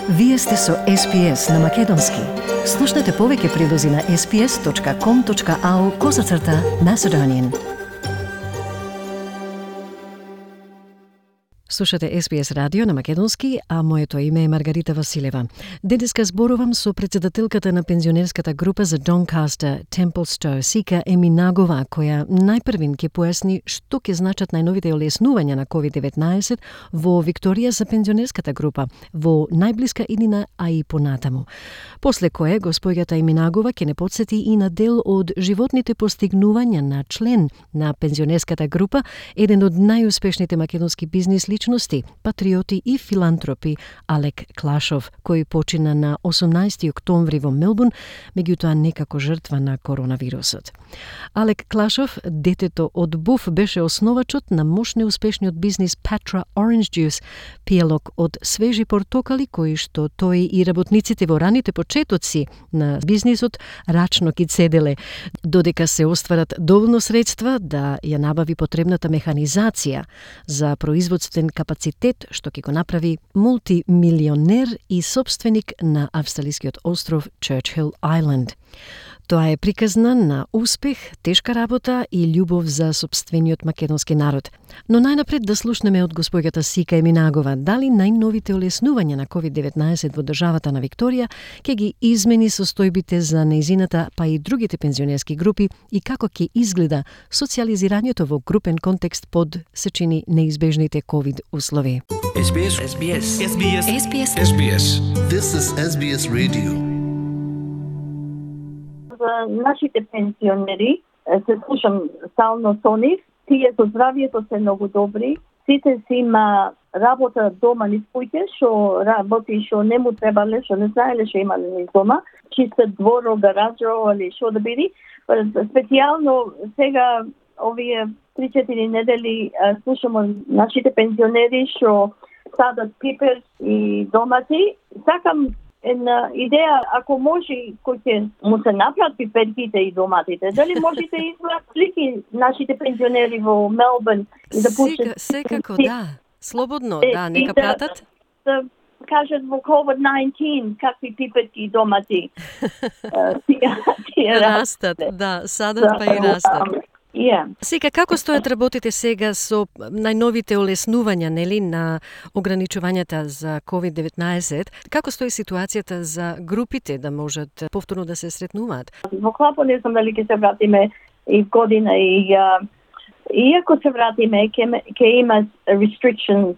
Вие сте со SPS на Македонски. Слушнете повеќе прилози на sps.com.au/Macedonian. Слушате SBS радио на Македонски, а моето име е Маргарита Василева. Денеска зборувам со председателката на пензионерската група за Doncaster, Templestowe, Сика Еминагова, која најпрвин ќе појасни што ќе значат најновите олеснувања на COVID-19 во Викторија за пензионерската група во најблиска иднина, а и понатаму. После кое госпоѓата Еминагова ќе не подсети и на дел од животните постигнувања на член на пензионерската група, еден од најуспешните македонски бизнис личности, патриоти и филантропи Алек Клашов, кој почина на 18 октомври во Мелбурн, меѓутоа некако жртва на коронавирусот. Алек Клашов, детето од Буф, беше основачот на мош неуспешниот бизнис Patra Orange Juice, пиелок од свежи портокали кои што тој и работниците во раните почетоци на бизнисот рачно ги цеделе, додека се остварат доволно средства да ја набави потребната механизација за производствен капацитет, што ќе го направи мултимилионер и собственик на австралискиот остров Churchill Island. Тоа е приказна на успех, тешка работа и љубов за сопствениот македонски народ. Но најнапред да слушнеме од госпоѓата Сика Еминагова дали најновите олеснувања на COVID-19 во државата на Викторија ќе ги измени состојбите за нејзината, па и другите пензионерски групи и како ќе изгледа социјализирањето во групен контекст под се чини неизбежните COVID услови. SBS. This is SBS Radio. За нашите пензионери, се слушам стално со нив, тие со здравието се многу добри, сите си има работа дома низ куќе, што работи, што не му требале, што не знаеле што имале низ дома, чистат дворо, гаражо или што да биде. Специјално сега овие 3-4 недели слушаме нашите пензионери што садат пипер и домати. Сакам една идеја, ако може, кој ќе му се направат пиперките и доматите, дали можете изгледат слики нашите пензионери во Мелбурн и да пуштат? Секако, да. Слободно, да, нека пратат. Да кажат во COVID-19 какви пиперки и домати тие растат, да, садат па и растат. Yeah. Сега, како стојат работите сега со најновите олеснувања, нели, на ограничувањата за COVID-19? Како стои ситуацијата за групите да можат повторно да се сретнуваат? Во клапот не знам дали ќе се вратиме и в година и иако се вратиме, ќе има restrictions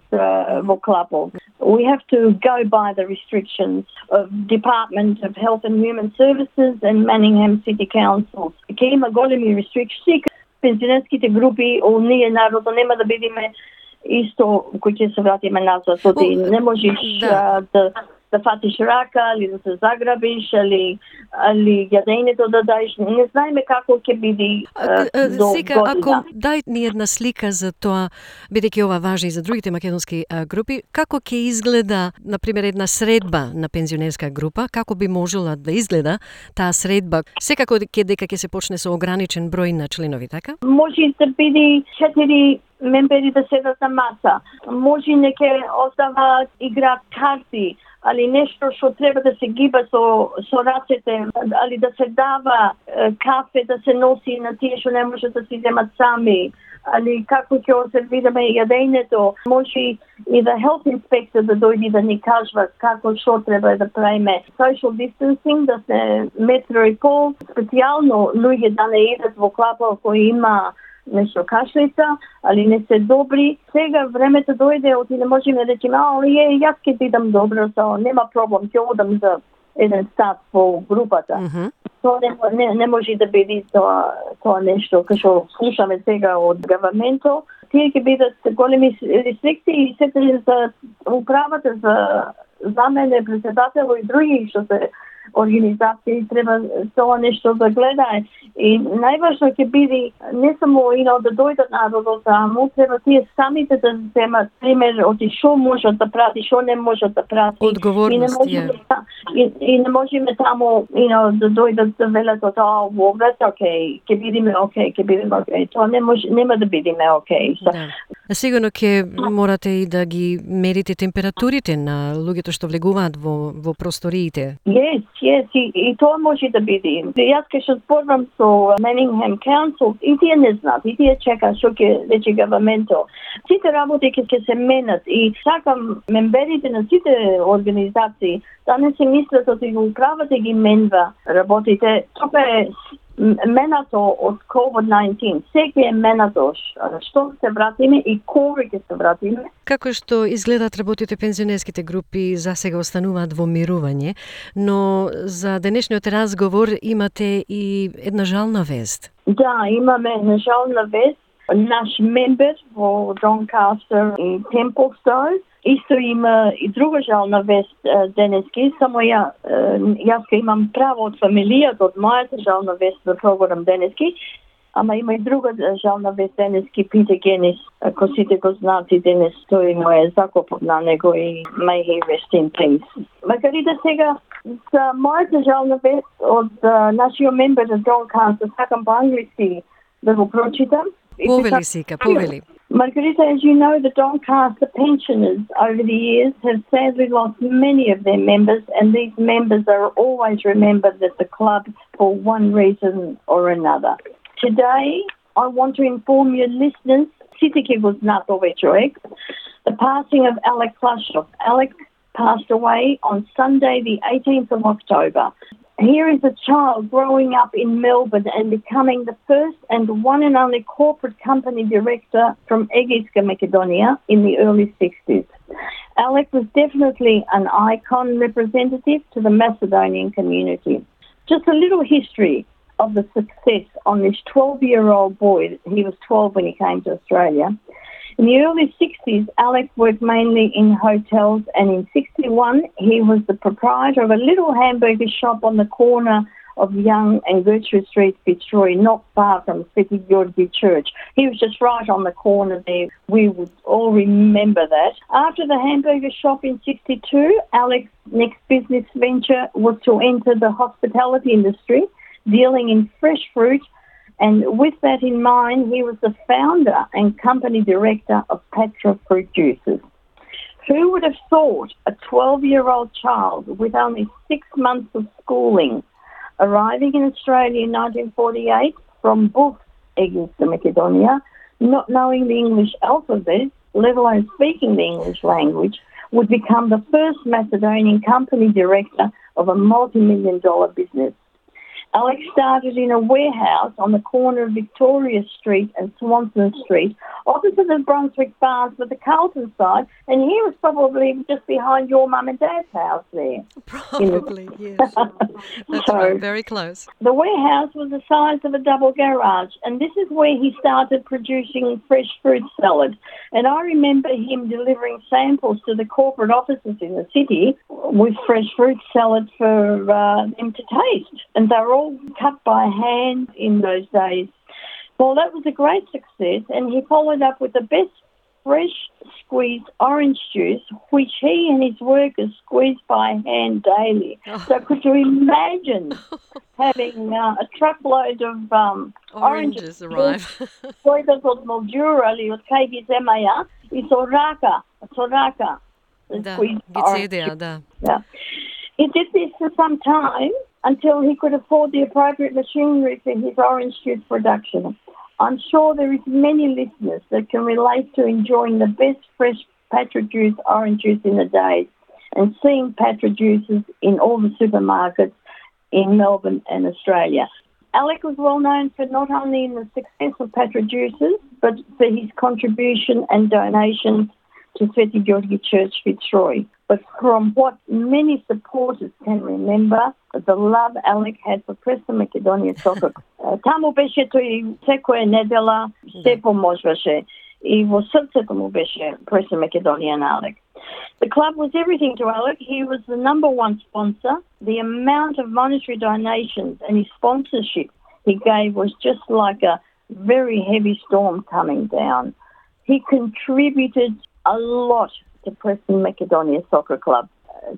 во клапот. We have to go by the restrictions of Department of Health and Human Services and Manningham City Council. Ќе има големи restrictions. Пензионерските групи, ние народот нема да бидеме исто кој ќе се вратиме назад. Не можеш да фатиш рака, или да се заграбиш, или јадењето да даеш. Не знаеме како ќе биде до сега, година. ако дај ни една слика за тоа, бидејќи ова важи и за другите македонски групи, како ќе изгледа, например, една средба на пензионерска група, како би можела да изгледа таа средба? Секако дека ќе се почне со ограничен број на членови, така? Може да биде 4 мембери да седат на маса. Може неке остават играат карти, али нешто што треба да се гиба со рацете, али да се дава кафе да се носи на тие што не можат да си земат сами, али како ќе сервираме јадењето. Може и да health inspector да дојде да ни кажува како што треба да правиме. Social distancing, да се метро и пол, специјално луѓе да не идат во клапа кој има нешто кашлица, али не се добри. Сега времето дојде, оти не можеме да речеме, јас ќе ти дам добро, нема проблем, ќе одам за еден стат во групата. Тоа не може да биде тоа нешто, кај што слушаме сега од гаваментот. Тие ќе бидат големи рестрикции и сете за управата, за мене, председател и други што се организација и треба тоа нешто да гледа. И најважно ќе биде не само да дојдат народот таму, треба тие самите да земат пример од што можат да прати, што не можат да прати. Одговорност и не можеме таму да дојдат да велат ќе бидеме окей. Тоа нема да бидеме окей. Да. Сигурно ќе морате и да ги мерите температурите на луѓето што влегуваат во просториите. Yes, и тоа може да биде. Јас ќе се спорвам со Manningham Council, и тие не знаат, и тие чека што ќе рече governmental. Сите работи ќе се менат и сакам мемберите на сите организации да не се мислат од управата ги менва работите. Тоа е менато од COVID-19. Секој е менато што се вратиме и кога ќе се вратиме. Како што изгледат работите пензионерските групи за сега остануваат во мирување, но за денешниот разговор имате и една жална вест. Да, имаме една жална вест. Наш мембер во Doncaster и Templestowe исто има и друга жална вест денески, само јас ке имам право од фамилијата, од мојата жална вест за програм денески, ама има и друга жална вест денески, Питер Генис, ако сите го знаат и денес тој мој закопот на него и may he rest in peace. Маргарита, сега за мојата жална вест од нашиот мембер на Doncaster, сакам по англиски да го прочитам. Повели, Сика, повели. Margarita, as you know, the Doncaster pensioners over the years have sadly lost many of their members, and these members are always remembered at the club for one reason or another. Today, I want to inform your listeners, Sitiki was not the passing of Alec Clushoff. Alec passed away on Sunday, the 18th of October. Here is a child growing up in Melbourne and becoming the first and one and only corporate company director from Egiska, Macedonia in the early 60s. Alec was definitely an icon representative to the Macedonian community. Just a little history of the success on this 12-year-old boy. He was 12 when he came to Australia. In the early 60s, Alec worked mainly in hotels, and in 61, he was the proprietor of a little hamburger shop on the corner of Young and Gertrude Street, Fitzroy, not far from Sveti Georgi Church. He was just right on the corner there. We would all remember that. After the hamburger shop in 62, Alec's next business venture was to enter the hospitality industry, dealing in fresh fruit. And with that in mind, he was the founder and company director of Patra Fruit Juices. Who would have thought a 12-year-old child with only 6 months of schooling, arriving in Australia in 1948 from Buk, Egiska, Macedonia, not knowing the English alphabet, let alone speaking the English language, would become the first Macedonian company director of a multi-million-dollar business. Alex started in a warehouse on the corner of Victoria Street and Swanson Street, opposite the Brunswick Bars with the Carlton side, and he was probably just behind your mum and dad's house there. Probably, yes. That's right, very close. The warehouse was the size of a double garage, and this is where he started producing fresh fruit salad. And I remember him delivering samples to the corporate offices in the city with fresh fruit salad for them to taste. And they were all cut by hand in those days. Well, that was a great success, and he followed up with the best fresh squeezed orange juice, which he and his workers squeezed by hand daily. So could you imagine having a truckload of oranges arrive? Toilet od Mildura ili od KG Zemlja I Soraka. Da, Gizedea, da. Yeah. He did this for some time until he could afford the appropriate machinery for his orange juice production. I'm sure there is many listeners that can relate to enjoying the best fresh Patra juice orange juice in the days and seeing Patra juices in all the supermarkets in Melbourne and Australia. Alec was well known for not only in the success of Patra juices, but for his contribution and donations to Sveti Georgi Church, Fitzroy. But from what many supporters can remember, the love Alec had for Preston Macedonia soccer. Таму беше тој секоја недела, се поможуваше. И во срцето му беше Preston Macedonia на Алек. The club was everything to Alec. He was the number one sponsor. The amount of monetary donations and his sponsorship he gave was just like a very heavy storm coming down. He contributed a lot to Preston Macedonia Soccer Club.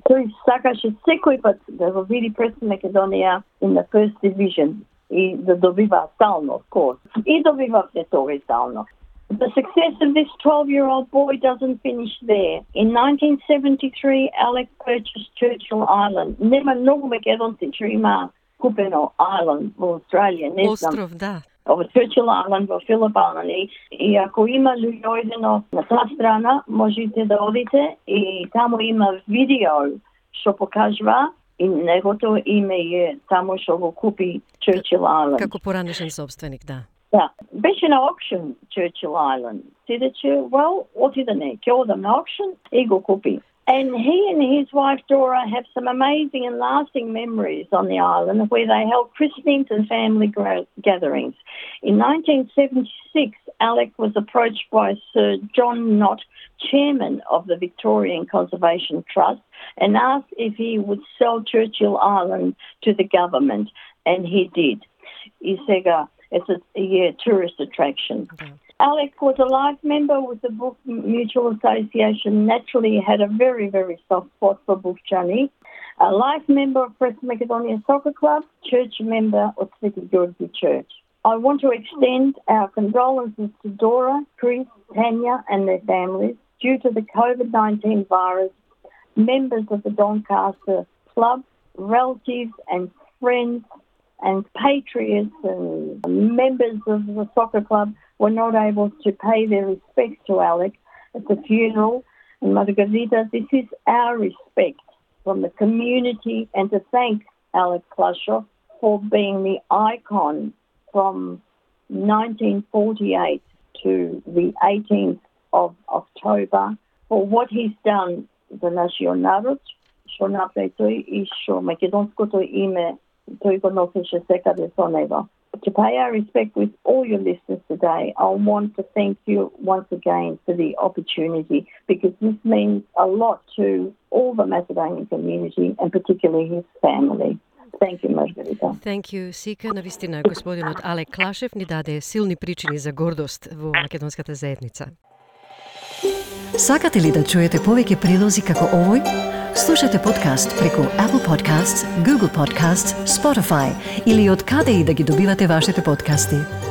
Тој сакаше секој пат да го види Preston Macedonia in the first division и да добива стално, of course. И добива се тоа и стално. The success of this 12-year-old boy doesn't finish there. In 1973, Alec purchased Churchill Island. Нема многу македонци што има купено Island во Австралија, не знам. Остров, да. Ова Churchill Island во Филипините. И ако има луѓе на таа страна, можете да одите и таму има видео што покажува и негото име е таму што го купи Churchill Island. Како поранешен собственик, да. Да, беше на auction Churchill Island. Сидече, well, отиде не, ќе одам на auction и го купи. And he and his wife Dora have some amazing and lasting memories on the island where they held christenings and family gatherings. In 1976, Alec was approached by Sir John Knott, chairman of the Victorian Conservation Trust, and asked if he would sell Churchill Island to the government, and he did. He said, it's a tourist attraction. Okay. Alec was a life member with the Book Mutual Association. Naturally, he had a very, very soft spot for Bufchani. A life member of Preston Macedonia Soccer Club, church member of Sveti Georgi Church. I want to extend our condolences to Dora, Chris, Tanya and their families due to the COVID-19 virus. Members of the Doncaster Club, relatives and friends and patriots and members of the soccer club were not able to pay their respects to Alec at the funeral. And Margarita, this is our respect from the community and to thank Alec Clushaw for being the icon from 1948 to the 18th of October for what he's done за нашиот народ, што направи тој и што македонското име тој го носеше секаде со него. To pay our respect with all your listeners today, I want to thank you once again for the opportunity because this means a lot to all the Macedonian community and particularly his family. Thank you, Margarita. Thank you, Sika. Навистина, господинот Алек Клашев ни даде силни причини за гордост во македонската заедница. Сакате ли да чуете повеќе прилози како овој? Слушате подкаст преку Apple Podcasts, Google Podcasts, Spotify или од каде и да ги добивате вашите подкасти.